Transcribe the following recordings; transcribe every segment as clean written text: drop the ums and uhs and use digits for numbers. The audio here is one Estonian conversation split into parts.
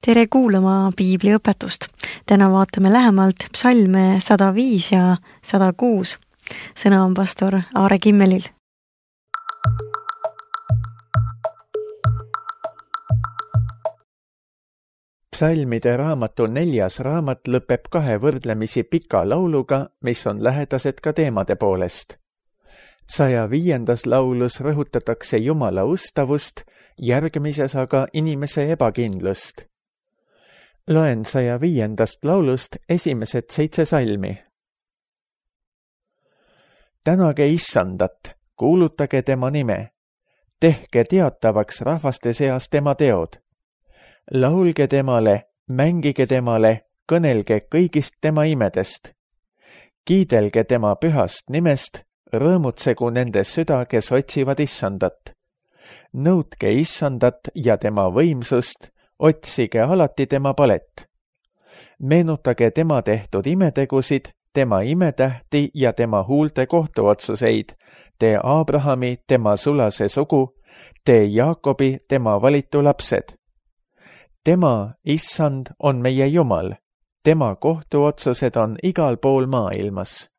Tere kuulama piibliõpetust. Täna vaatame lähemalt psalme 105 ja 106. Sõna on pastor Aare Kimmelil. Psalmide raamatu 4. raamat lõpeb 2 võrdlemisi pika lauluga, mis on lähedased ka teemade poolest. 105. laulus rõhutatakse Jumala ustavust, järgmises aga inimese ebakindlust. Loen 105. laulust esimesed 7 salmi. Tänage Issandat, kuulutage tema nime, tehke teatavaks rahvaste seas tema teod. Laulge temale, mängige temale, kõnelge kõigist tema imedest. Kiidelge tema pühast nimest, rõõmutsegu nende süda, kes otsivad Issandat. Nõudke Issandat ja tema võimsust, otsige alati tema palet. Meenutage tema tehtud imetegusid, tema imetähti ja tema huulte kohtuotsuseid, tee Abrahami tema sulase sugu, tee Jaakobi tema valitu lapsed. Tema, Issand, on meie Jumal, tema kohtuotsused on igal pool maailmas.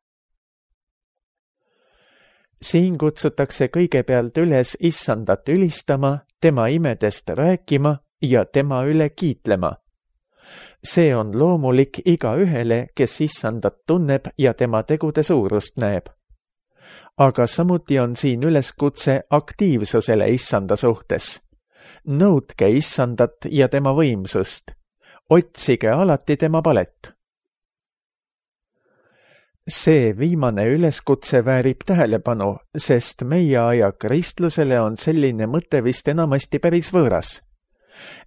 Siin kutsutakse kõigepealt üles Issandat ülistama, tema imedest rääkima ja tema üle kiitlema. See on loomulik igaühele, kes Issandat tunneb ja tema tegude suurust näeb. Aga samuti on siin üleskutse aktiivsusele Issanda suhtes. Nõudke Issandat ja tema võimsust. Otsige alati tema palet. See viimane üleskutse väärib tähelepanu, sest meie aja kristlusele on selline mõte vist enamasti päris võõras.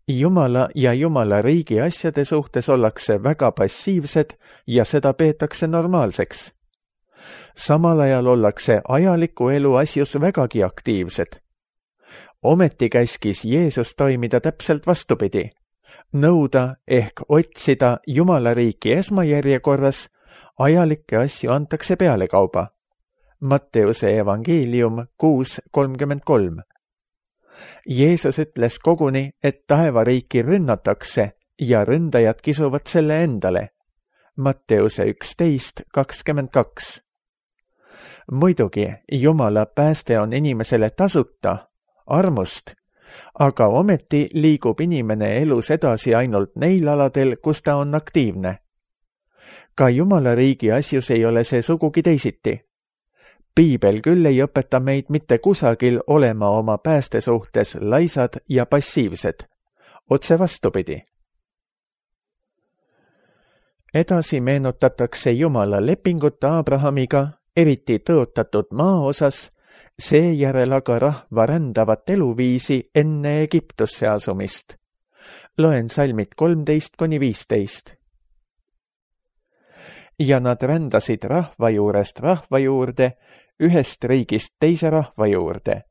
Jumala ja Jumala riigi asjade suhtes ollakse väga passiivsed ja seda peetakse normaalseks. Samal ajal ollakse ajaliku elu asjus vägagi aktiivsed. Ometi käskis Jeesus toimida täpselt vastupidi. Nõuda ehk otsida Jumala riiki esmajärjekorras, ajalikke asju antakse pealekauba. Matteuse evangeelium 6:33. Jeesus ütles koguni, et taevariiki rünnatakse ja ründajad kisuvad selle endale. Matteuse 11:22. Muidugi, Jumala pääste on inimesele tasuta, armust, aga ometi liigub inimene elus edasi ainult neil aladel, kus ta on aktiivne. Ka Jumala riigi asjus ei ole see sugugi teisiti. Piibel küll ei õpeta meid mitte kusagil olema oma pääste suhtes laisad ja passiivsed. Otse vastupidi. Edasi meenutatakse Jumala lepingut Abrahamiga, eriti tõotatud maa osas, seejärel aga rahva rändavat eluviisi enne Egiptusse asumist. Loen salmid 13-15. Ja nad rändasid rahva juurest rahva juurde, ühest riigist teise rahva juurde.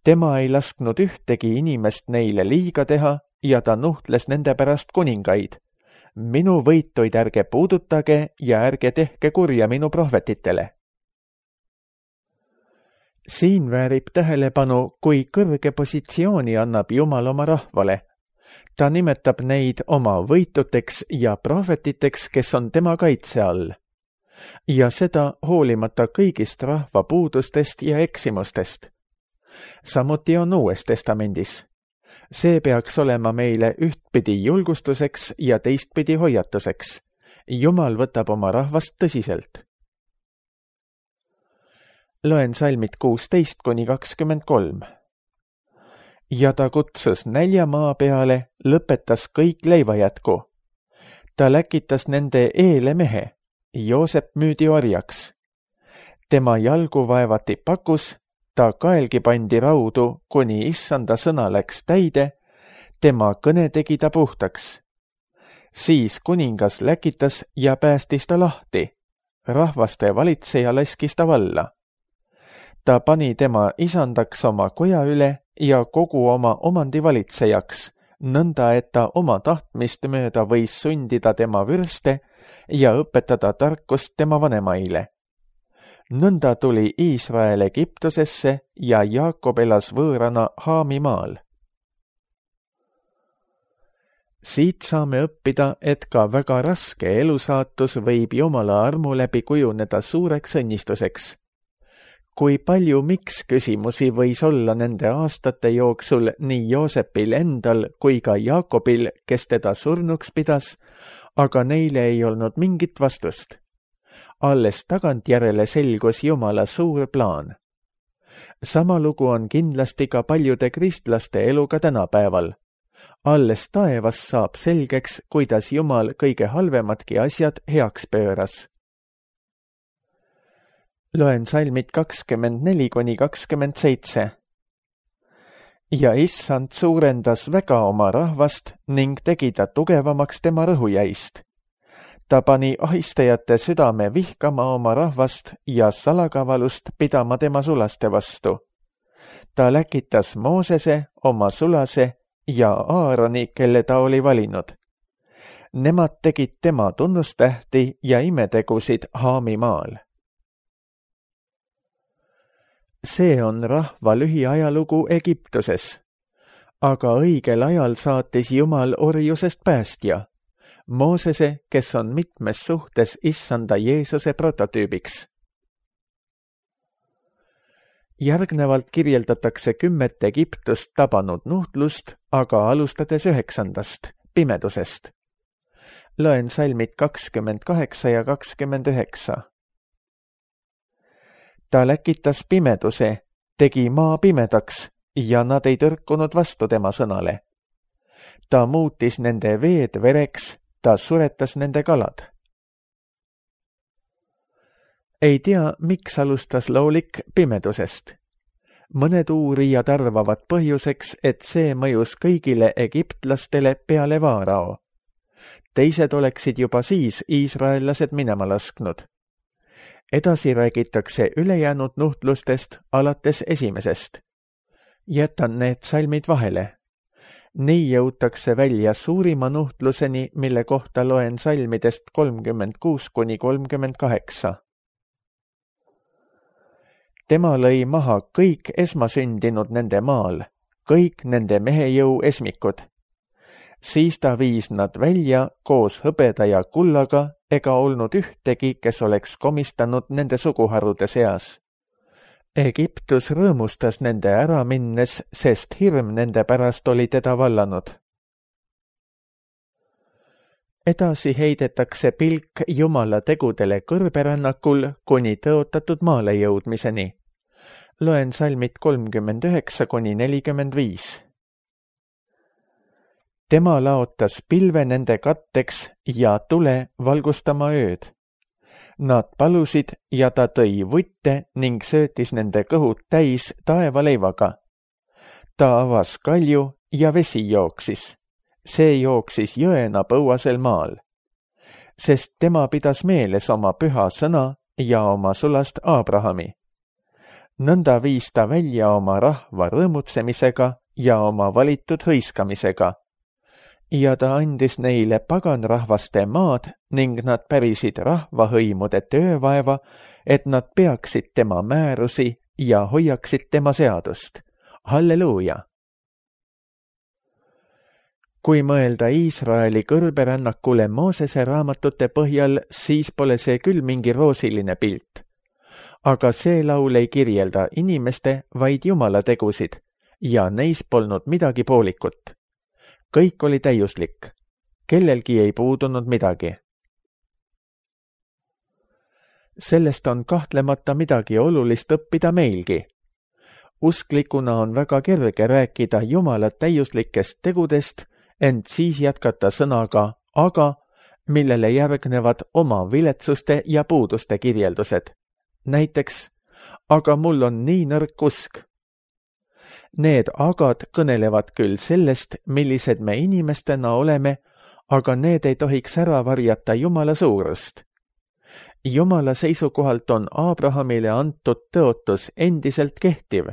Tema ei lasknud ühtegi inimest neile liiga teha ja ta nuhtles nende pärast kuningaid. Minu võituid ärge puudutage ja ärge tehke kurja minu prohvetitele. Siin väärib tähelepanu, kui kõrge positsiooni annab Jumal oma rahvale. Ta nimetab neid oma võituteks ja prohvetiteks, kes on tema kaitse all. Ja seda hoolimata kõigist rahva puudustest ja eksimustest. Samuti on Uues Testamendis. See peaks olema meile ühtpidi julgustuseks ja teistpidi hoiatuseks. Jumal võtab oma rahvast tõsiselt. Loen salmid 16-23. Ja ta kutsus nälja maa peale, lõpetas kõik leivajätku. Ta läkitas nende eele mehe. Joosep müüdi orjaks. Tema jalgu vaevati pakus, ta kaelgi pandi raudu, kuni Issanda sõna läks täide, tema kõne tegi ta puhtaks. Siis kuningas läkitas ja päästis ta lahti. Rahvaste valitseja laskis ta valla. Ta pani tema isandaks oma koja üle ja kogu oma omandi valitsejaks, nõnda et ta oma tahtmist mööda võis sundida tema vürste ja õpetada tarkust tema vanemaile. Nõnda tuli Iisrael Egiptusesse ja Jaakob elas võõrana Haami maal. Siit saame õppida, et ka väga raske elusaatus võib Jumala armu läbi kujuneda suureks õnnistuseks. Kui palju miks küsimusi võis olla nende aastate jooksul nii Joosepil endal kui ka Jaakobil, kes teda surnuks pidas, aga neile ei olnud mingit vastust. Alles tagantjärele selgus Jumala suur plaan. Sama lugu on kindlasti ka paljude kristlaste eluga tänapäeval. Alles taevas saab selgeks, kuidas Jumal kõige halvemadki asjad heaks pööras. Loen salmid 24–27. Ja issand suurendas väga oma rahvast ning tegi ta tugevamaks tema rõhujäist. Ta pani ahistajate südame vihkama oma rahvast ja salakavalust pidama tema sulaste vastu. Ta läkitas Moosese, oma sulase ja Aaroni, kelle ta oli valinud. Nemad tegid tema tunnustähti ja imetegusid Haami maal. See on rahva lühiajalugu Egiptuses. Aga õigel ajal saatis Jumal orjusest päästja, Moosese, kes on mitmes suhtes issanda Jeesuse prototüübiks. Järgnevalt kirjeldatakse 10 Egiptust tabanud nuhtlust, aga alustades 9. pimedusest. Loen salmid 28 ja 29. Ta läkitas pimeduse, tegi maa pimedaks ja nad ei tõrkunud vastu tema sõnale. Ta muutis nende veed vereks, ta suretas nende kalad. Ei tea, miks alustas loolik pimedusest. Mõned uurijad arvavad põhjuseks, et see mõjus kõigile egiptlastele peale Vaarao. Teised oleksid juba siis iisraellased minema lasknud. Edasi räägitakse ülejäänud nuhtlustest alates 1. Jätan need salmid vahele. Nii jõutakse välja suurima nuhtluseni, mille kohta loen salmidest 36–38. Tema lõi maha kõik esmasündinud nende maal, kõik nende mehejõu esmikud. Siis ta viis nad välja koos hõbeda ja kullaga, ega olnud ühtegi, kes oleks komistanud nende suguharude seas. Egiptus rõõmustas nende ära minnes, sest hirm nende pärast oli teda vallanud. Edasi heidetakse pilk Jumala tegudele kõrberännakul kuni tõotatud maale jõudmiseni. Loen salmid 39–45. Tema laotas pilve nende katteks ja tule valgustama ööd. Nad palusid ja ta tõi vutte ning söötis nende kõhud täis taevaleivaga. Ta avas kalju ja vesi jooksis. See jooksis jõena põuasel maal. Sest tema pidas meeles oma püha sõna ja oma sulast Abrahami. Nõnda viis ta välja oma rahva rõõmutsemisega ja oma valitud hõiskamisega. Ja ta andis neile paganrahvaste maad ning nad pärisid rahvahõimude töövaeva, et nad peaksid tema määrusi ja hoiaksid tema seadust. Halleluuja! Kui mõelda Iisraeli kõrberännakule Moosese raamatute põhjal, siis pole see küll mingi roosiline pilt. Aga see laul ei kirjelda inimeste, vaid Jumala tegusid ja neis polnud midagi poolikut. Kõik oli täiuslik. Kellelgi ei puudunud midagi. Sellest on kahtlemata midagi olulist õppida meilgi. Usklikuna on väga kerge rääkida Jumala täiuslikest tegudest, ent siis jätkata sõnaga aga, millele järgnevad oma viletsuste ja puuduste kirjeldused. Näiteks, aga mul on nii nõrk usk. Need agad kõnelevad küll sellest, millised me inimestena oleme, aga need ei tohiks ära varjata Jumala suurust. Jumala seisukohalt on Abrahamile antud tõotus endiselt kehtiv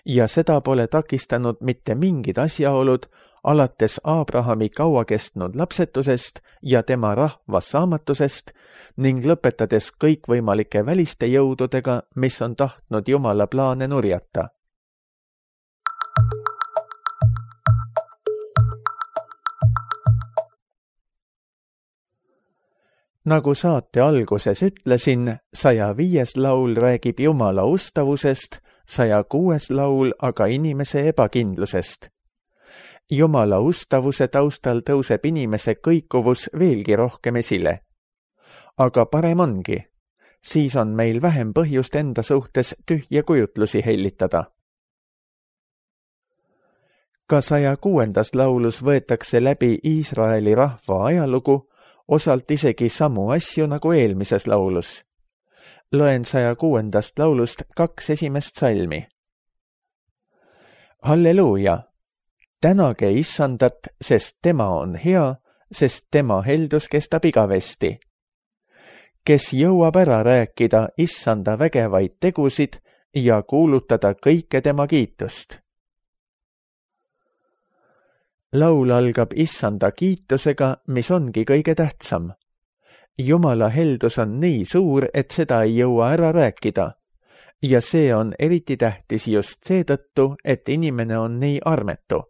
ja seda pole takistanud mitte mingid asjaolud, alates Abrahami kauakestnud lapsetusest ja tema rahva saamatusest ning lõpetades kõikvõimalike väliste jõududega, mis on tahtnud Jumala plaane nurjata. Nagu saate alguses ütlesin, 105. laul räägib Jumala ustavusest, 106. laul aga inimese ebakindlusest. Jumala ustavuse taustal tõuseb inimese kõikuvus veelgi rohkem esile. Aga parem ongi, siis on meil vähem põhjust enda suhtes tühje kujutlusi hellitada. Ka 106. laulus võetakse läbi Iisraeli rahva ajalugu, osalt isegi samu asju nagu eelmises laulus. Loen 106. laulust 2 esimest salmi. Halleluuja! Tänage Issandat, sest tema on hea, sest tema heldus kestab igavesti. Kes jõuab ära rääkida Issanda vägevaid tegusid ja kuulutada kõike tema kiitust. Laul algab Issanda kiitusega, mis ongi kõige tähtsam. Jumala heldus on nii suur, et seda ei jõua ära rääkida. Ja see on eriti tähtis just seetõttu, et inimene on nii armetu.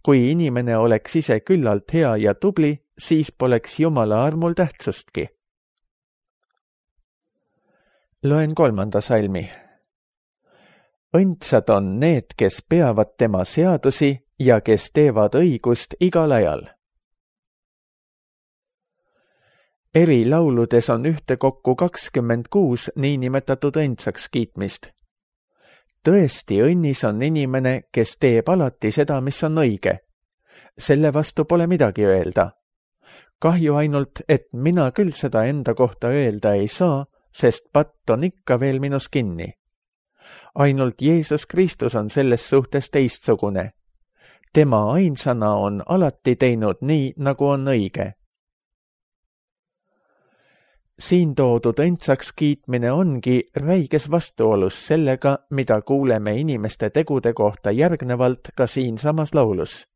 Kui inimene oleks ise küllalt hea ja tubli, siis poleks Jumala armul tähtsustki. Loen 3. salmi. Õndsad on need, kes peavad tema seadusi ja kes teevad õigust igal ajal. Eri lauludes on ühtekokku 26 niinimetatud õndsaks kiitmist. Tõesti õnnis on inimene, kes teeb alati seda, mis on õige. Selle vastu pole midagi öelda. Kahju ainult, et mina küll seda enda kohta öelda ei saa, sest patt on ikka veel minus kinni. Ainult Jeesus Kristus on selles suhtes teistsugune. Tema ainsana on alati teinud nii, nagu on õige. Siin toodud õndsaks kiitmine ongi räiges vastuolus sellega, mida kuuleme inimeste tegude kohta järgnevalt ka siinsamas laulus.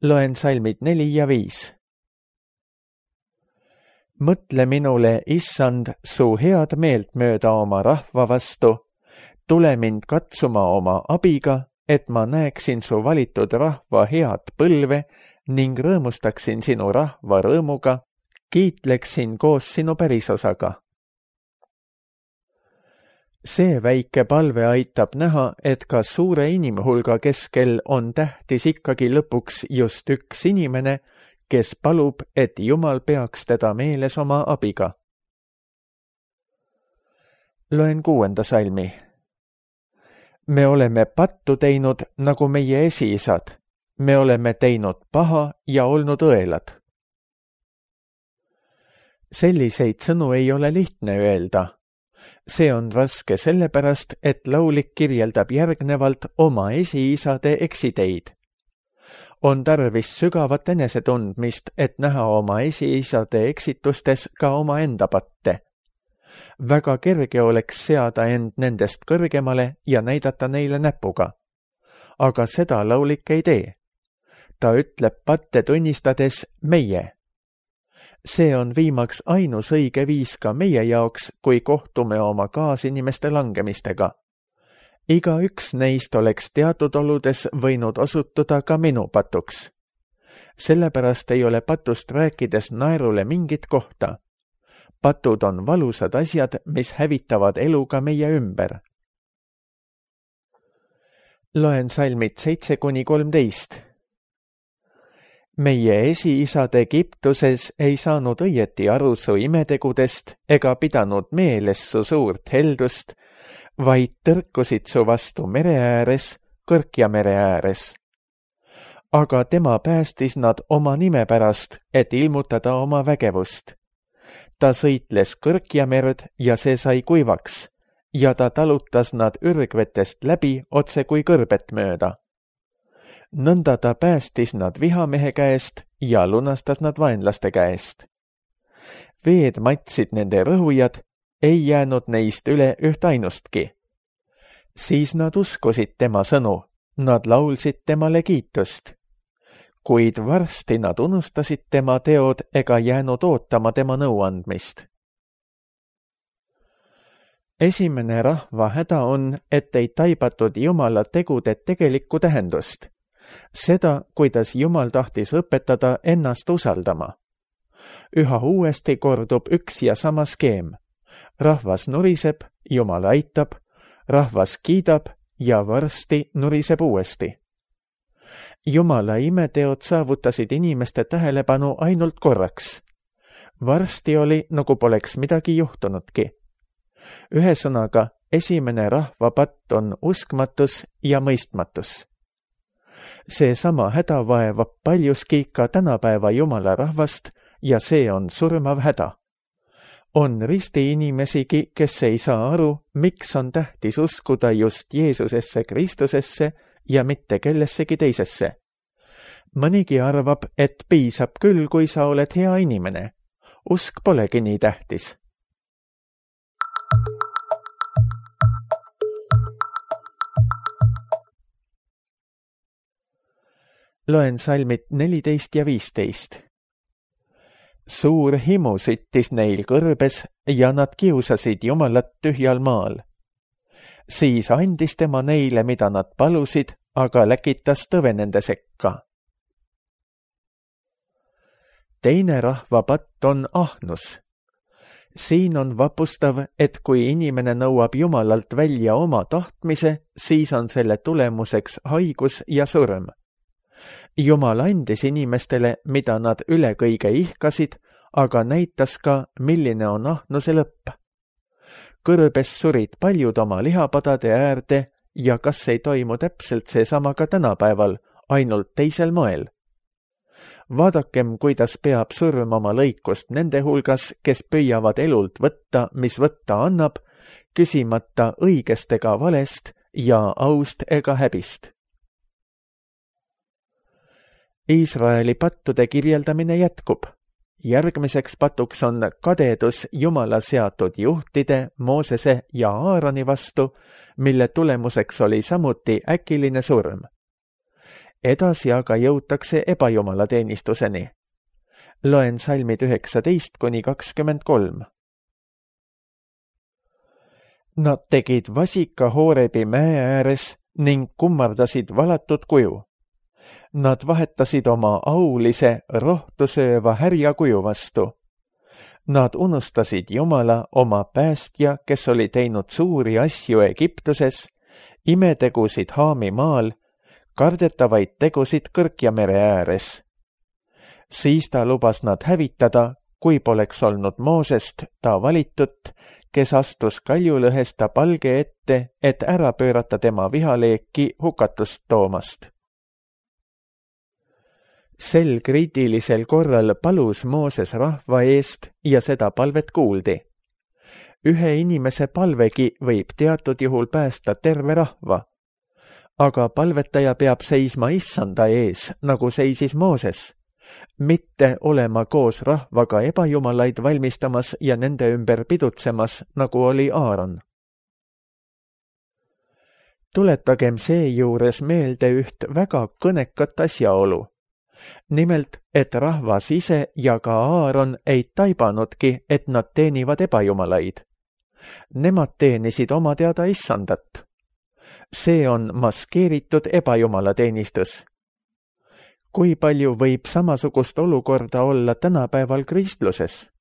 Loen salmid 4 ja 5. Mõtle minule, Issand, su head meelt mööda oma rahva vastu, tule mind katsuma oma abiga, et ma näeksin su valitud rahva head põlve ning rõõmustaksin sinu rahva rõõmuga, kiitleksin koos sinu pärisosaga. See väike palve aitab näha, et ka suure inimhulga keskel on tähtis ikkagi lõpuks just üks inimene, kes palub, et Jumal peaks teda meeles oma abiga. Loen 6. salmi. Me oleme pattu teinud nagu meie esiisad. Me oleme teinud paha ja olnud õelad. Selliseid sõnu ei ole lihtne öelda. See on raske sellepärast, et laulik kirjeldab järgnevalt oma esiisade eksiteid. On tarvis sügavat enesetundmist, et näha oma esiisade eksitustes ka oma enda patte. Väga kerge oleks seada end nendest kõrgemale ja näidata neile näpuga. Aga seda laulik ei tee. Ta ütleb patte tunnistades meie. See on viimaks ainus õige viis ka meie jaoks, kui kohtume oma kaasinimeste langemistega. Igaüks neist oleks teatud oludes võinud osutuda ka minu patuks. Sellepärast ei ole patust rääkides naerule mingit kohta. Patud on valusad asjad, mis hävitavad elu ka meie ümber. Loen salmid 7-13. Meie esiisad Egiptuses ei saanud õieti aru su imetegudest ega pidanud meeles su suurt heldust, vaid tõrkusid su vastu mere ääres, Kõrkja mere ääres. Aga tema päästis nad oma nime pärast, et ilmutada oma vägevust. Ta sõitles Kõrkja merd ja see sai kuivaks ja ta talutas nad ürgvetest läbi otse kui kõrbet mööda. Nõnda ta päästis nad vihamehe käest ja lunastas nad vaenlaste käest. Veed matsid nende rõhujad, ei jäänud neist üle üht ainustki. Siis nad uskusid tema sõnu, nad laulsid temale kiitust. Kuid varsti nad unustasid tema teod ega jäänud ootama tema nõuandmist. Esimene rahva häda on, et ei taibatud Jumala tegude tegelikku tähendust. Seda, kuidas Jumal tahtis õpetada ennast usaldama. Üha uuesti kordub üks ja sama skeem. Rahvas nuriseb, Jumal aitab, rahvas kiidab ja varsti nuriseb uuesti. Jumala imeteod saavutasid inimeste tähelepanu ainult korraks. Varsti oli, nagu poleks midagi juhtunudki. Ühesõnaga, esimene rahvapatt on uskmatus ja mõistmatus. Seesama häda vaevab paljuski ka tänapäeva Jumala rahvast ja see on surmav häda. On risti inimesigi, kes ei saa aru, miks on tähtis uskuda just Jeesusesse Kristusesse ja mitte kellessegi teisesse. Mõnigi arvab, et piisab küll, kui sa oled hea inimene. Usk polegi nii tähtis. Loen salmid 14 ja 15. Suur himu süttis neil kõrbes ja nad kiusasid Jumalat tühjal maal. Siis andis tema neile, mida nad palusid, aga läkitas tõve nende sekka. Teine rahvapatt on ahnus. Siin on vapustav, et kui inimene nõuab Jumalalt välja oma tahtmise, siis on selle tulemuseks haigus ja surm. Jumal andis inimestele, mida nad üle kõige ihkasid, aga näitas ka, milline on ahnuse lõpp. Kõrbes surid paljud oma lihapadade äärde ja kas ei toimu täpselt seesama ka tänapäeval, ainult teisel moel. Vaadakem, kuidas peab surm oma lõikust nende hulgas, kes püüavad elult võtta, mis võtta annab, küsimata õigest ega valest ja aust ega häbist. Iisraeli pattude kirjeldamine jätkub. Järgmiseks patuks on kadedus Jumala seatud juhtide, Moosese ja Aaroni vastu, mille tulemuseks oli samuti äkiline surm. Edasi aga jõutakse ebajumala teenistuseni. Loen salmid 19-23. Nad tegid vasika Hoorebi mäe ääres ning kummardasid valatud kuju. Nad vahetasid oma aulise, rohtu sööva härja kuju vastu. Nad unustasid Jumala, oma päästja, kes oli teinud suuri asju Egiptuses, imetegusid Haami maal, kardetavaid tegusid Kõrkja mere ääres. Siis ta lubas nad hävitada, kui poleks olnud Moosest, ta valitut, kes astus kaljulõhesta palge ette, et ära pöörata tema vihaleeki hukatust toomast. Sel kriitilisel korral palus Mooses rahva eest ja seda palvet kuuldi. Ühe inimese palvegi võib teatud juhul päästa terve rahva. Aga palvetaja peab seisma issanda ees, nagu seisis Mooses, mitte olema koos rahvaga ebajumalaid valmistamas ja nende ümber pidutsemas, nagu oli Aaron. Tuletagem seejuures meelde üht väga kõnekat asjaolu. Nimelt, et rahvas ise ja ka Aaron ei taibanudki, et nad teenivad ebajumalaid. Nemad teenisid oma teada issandat. See on maskeeritud ebajumala teenistus. Kui palju võib samasugust olukorda olla tänapäeval kristluses?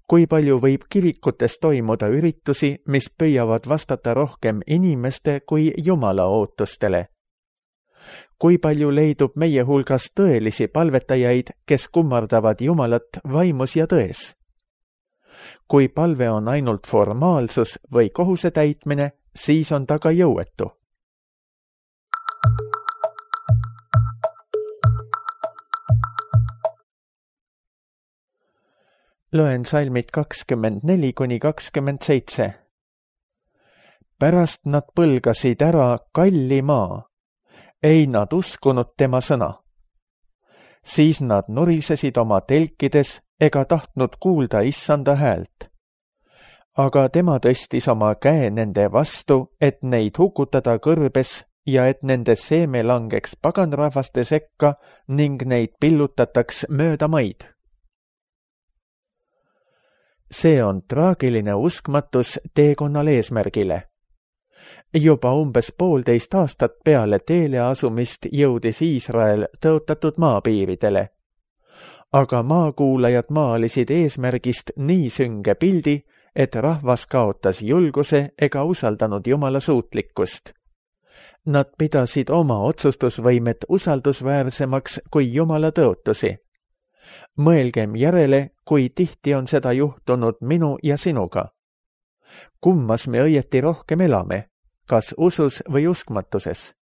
Kui palju võib kirikutes toimuda üritusi, mis püüavad vastata rohkem inimeste kui Jumala ootustele? Kui palju leidub meie hulgas tõelisi palvetajaid, kes kummardavad Jumalat vaimus ja tões? Kui palve on ainult formaalsus või kohuse täitmine, siis on ta ka jõuetu. Loen salmid 24-27. Pärast nad põlgasid ära kalli maa. Ei nad uskunud tema sõna. Siis nad nurisesid oma telkides ega tahtnud kuulda issanda häält. Aga tema tõstis oma käe nende vastu, et neid hukutada kõrbes ja et nende seeme langeks paganrahvaste sekka ning neid pillutataks mööda maid. See on traagiline uskmatus teekonnal eesmärgile. Juba umbes 1,5 aastat peale teele asumist jõudis Iisrael tõotatud maapiiridele. aga maakuulajad maalisid eesmärgist nii sünge pildi, et rahvas kaotas julguse ega usaldanud Jumala suutlikkust. Nad pidasid oma otsustusvõimet usaldusväärsemaks kui Jumala tõotusi. Mõelgem järele, kui tihti on seda juhtunud minu ja sinuga. Kummas me õieti rohkem elame, kas usus või uskmatuses?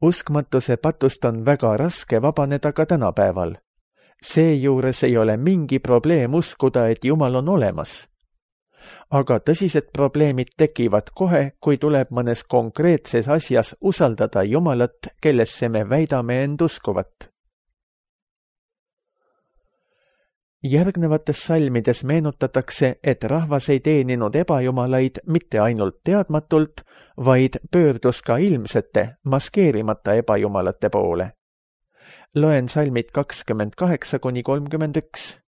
Uskmatuse patust on väga raske vabaneda ka tänapäeval. Seejuures ei ole mingi probleem uskuda, et Jumal on olemas. Aga tõsised probleemid tekivad kohe, kui tuleb mõnes konkreetses asjas usaldada Jumalat, kellesse me väidame end uskuvat. Järgnevates salmides meenutatakse, et rahvas ei teeninud ebajumalaid mitte ainult teadmatult, vaid pöördus ka ilmsete, maskeerimata ebajumalate poole. Loen salmid 28–31.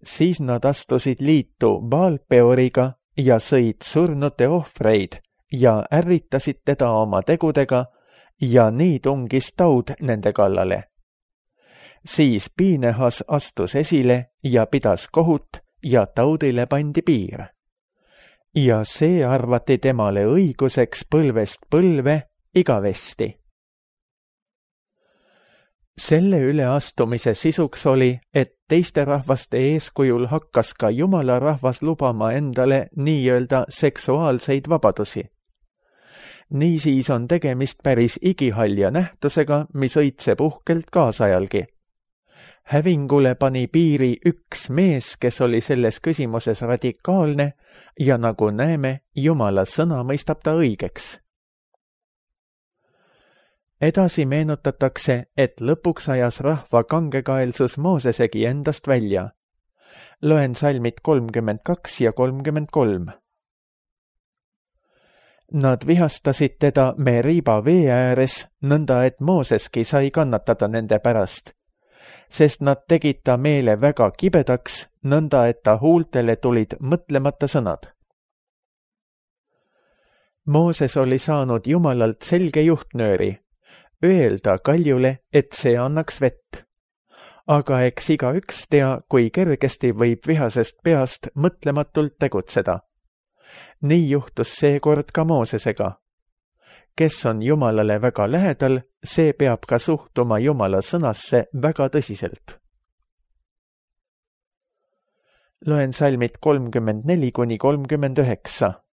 Siis nad astusid liitu Baal-Peoriga ja sõid surnute ohvreid ja ärritasid teda oma tegudega ja nii tungis taud nende kallale. Siis Piinehas astus esile ja pidas kohut ja taudile pandi piir. Ja see arvati temale õiguseks põlvest põlve igavesti. Selle üleastumise sisuks oli, et teiste rahvaste eeskujul hakkas ka Jumala rahvas lubama endale nii-öelda seksuaalseid vabadusi. Niisiis on tegemist päris igihalja nähtusega, mis õitseb uhkelt kaasajalgi. Hävingule pani piiri üks mees, kes oli selles küsimuses radikaalne ja nagu näeme, Jumala sõna mõistab ta õigeks. Edasi meenutatakse, et lõpuks ajas rahva kangekaelsus Moosesegi endast välja. Loen salmid 32 ja 33. Nad vihastasid teda Meriba vee ääres, nõnda et Mooseski sai kannatada nende pärast, sest nad tegid ta meele väga kibedaks, nõnda et ta huultele tulid mõtlemata sõnad. Mooses oli saanud Jumalalt selge juhtnööri, öelda kaljule, et see annaks vett. Aga eks igaüks tea, kui kergesti võib vihasest peast mõtlematult tegutseda. Nii juhtus seekord ka Moosesega. Kes on Jumalale väga lähedal, see peab ka suhtuma Jumala sõnasse väga tõsiselt. Loen salmid 34–39.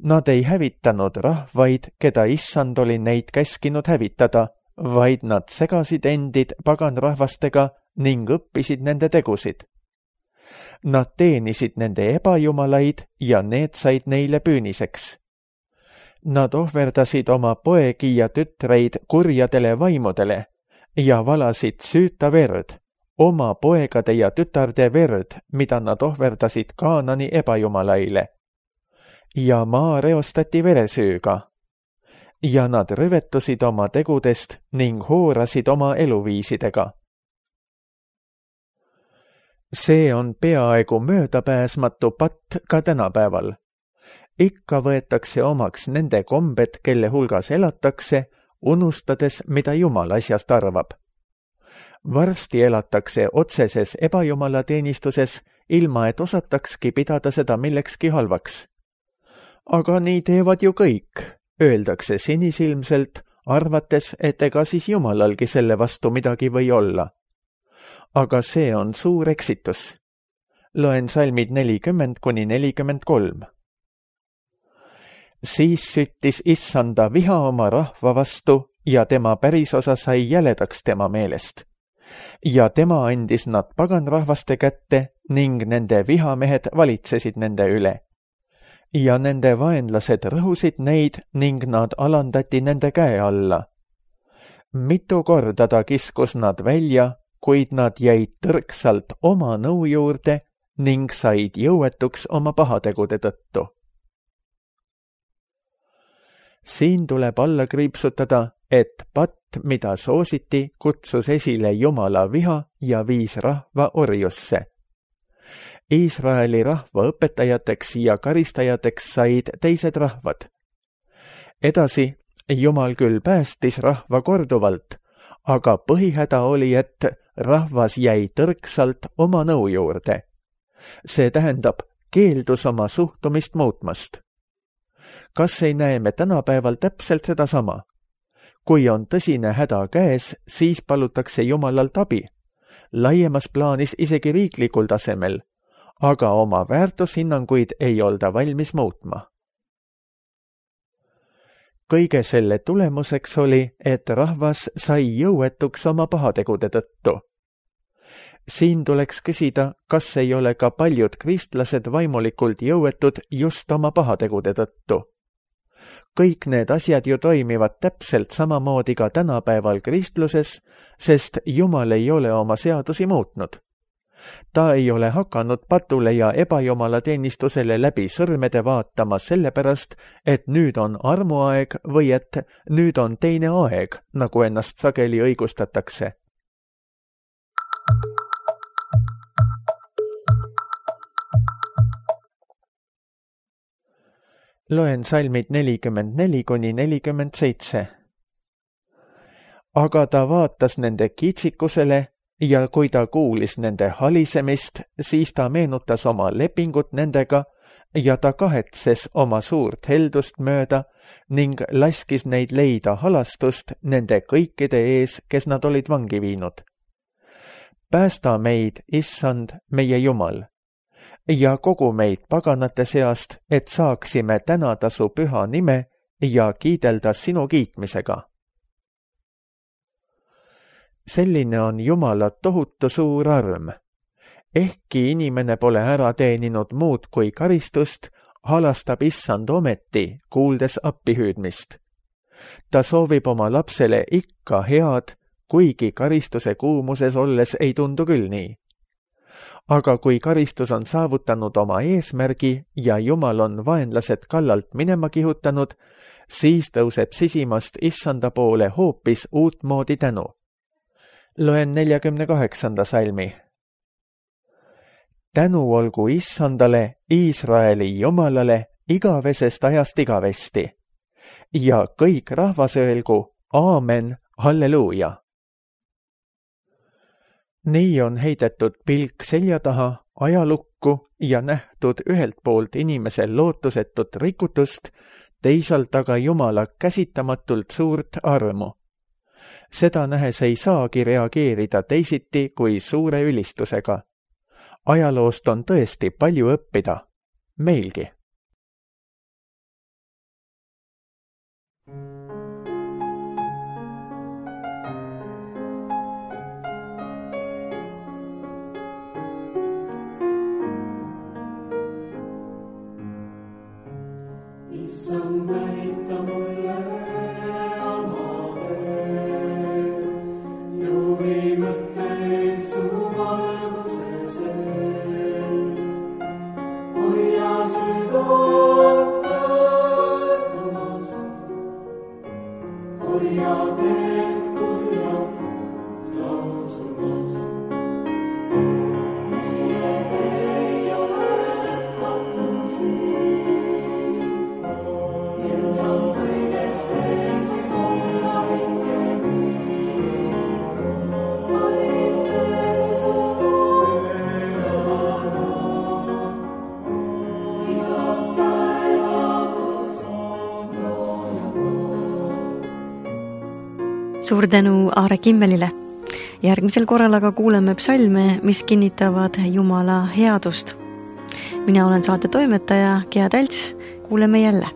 Nad ei hävitanud rahvaid, keda issand oli neid käskinud hävitada, vaid nad segasid endid paganrahvastega ning õppisid nende tegusid. Nad teenisid nende ebajumalaid ja need said neile püüniseks. Nad ohverdasid oma poegi ja tütreid kurjadele vaimudele ja valasid süüta verd, oma poegade ja tütarde verd, mida nad ohverdasid Kaanani ebajumalaile. Ja maa reostati veresüüga. Ja nad rüvetusid oma tegudest ning hoorasid oma eluviisidega. See on peaaegu möödapääsmatu patt ka tänapäeval. Ikka võetakse omaks nende kombed, kelle hulgas elatakse, unustades, mida Jumal asjast arvab. Varsti elatakse otseses ebajumalateenistuses, ilma et osatakski pidada seda millekski halvaks. Aga nii teevad ju kõik, öeldakse sinisilmselt, arvates, et ega siis Jumalalgi selle vastu midagi või olla. Aga see on suur eksitus. Loen salmid 40–43. Siis süttis issanda viha oma rahva vastu ja tema pärisosa sai jäledaks tema meelest. Ja tema andis nad paganrahvaste kätte ning nende vihamehed valitsesid nende üle. Ja nende vaenlased rõhusid neid ning nad alandati nende käe alla. Mitu korda ta kiskus nad välja, kuid nad jäid tõrksalt oma nõu juurde ning said jõuetuks oma pahategude tõttu. Siin tuleb alla kriipsutada, et patt, mida soositi, kutsus esile Jumala viha ja viis rahva orjusse. Iisraeli rahva õpetajateks ja karistajateks said teised rahvad. Edasi Jumal küll päästis rahva korduvalt, aga põhihäda oli, et rahvas jäi tõrksalt oma nõu juurde. See tähendab, keeldus oma suhtumist muutmast. Kas ei näe me tänapäeval täpselt sedasama? Kui on tõsine häda käes, siis palutakse Jumalalt abi, laiemas plaanis isegi riiklikul tasemel, aga oma väärtushinnanguid ei olda valmis muutma. Kõige selle tulemuseks oli, et rahvas sai jõuetuks oma pahategude tõttu. Siin tuleks küsida, kas ei ole ka paljud kristlased vaimulikult jõuetud just oma pahategude tõttu. Kõik need asjad ju toimivad täpselt samamoodi ka tänapäeval kristluses, sest Jumal ei ole oma seadusi muutnud. Ta ei ole hakanud patule ja ebajumala teenistusele läbi sõrmede vaatama sellepärast, et nüüd on armuaeg või et nüüd on teine aeg, nagu ennast sageli õigustatakse. Loen salmid 44–47. Aga ta vaatas nende kiitsikusele ja kui ta kuulis nende halisemist, siis ta meenutas oma lepingut nendega ja ta kahetses oma suurt heldust mööda ning laskis neid leida halastust nende kõikide ees, kes nad olid vangi viinud. Päästa meid, Issand, meie Jumal, ja kogu meid paganate seast, et saaksime tänada su püha nime ja kiidelda sinu kiitmisega. Selline on Jumala tohutu suur arm. Ehkki inimene pole ära teeninud muud kui karistust, halastab Issand ometi, kuuldes appihüüdmist. Ta soovib oma lapsele ikka head, kuigi karistuse kuumuses olles ei tundu küll nii. Aga kui karistus on saavutanud oma eesmärgi ja Jumal on vaenlased kallalt minema kihutanud, siis tõuseb sisimast Issanda poole hoopis uutmoodi tänu. Loen 48. salmi. Tänu olgu Issandale, Iisraeli Jumalale, igavesest ajast igavesti. Ja kõik rahvas öelgu, aamen, halleluuja. Nii on heidetud pilk selja taha ajalukku ja nähtud ühelt poolt inimesel lootusetut rikutust, teisalt aga Jumala käsitamatult suurt armu. Seda nähes ei saagi reageerida teisiti kui suure ülistusega. Ajaloost on tõesti palju õppida. Meilgi. Issand näita mulle oma teed, juhi mõtteid su valguse sees. Hoia südant pöördumast, hoia teed kurja lausumast. Meie ei ole lõpmatus nii. Suur tänu Aare Kimmelile. Järgmisel korral aga kuuleme psalme, mis kinnitavad Jumala headust. Mina olen saate toimetaja Gea Talts. Kuuleme jälle.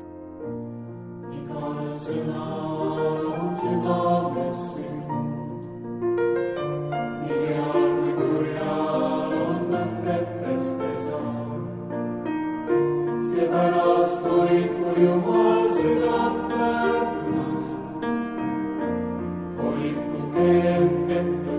Seepärast hoidku Jumal südant pöördumast, hoidku keelt pettu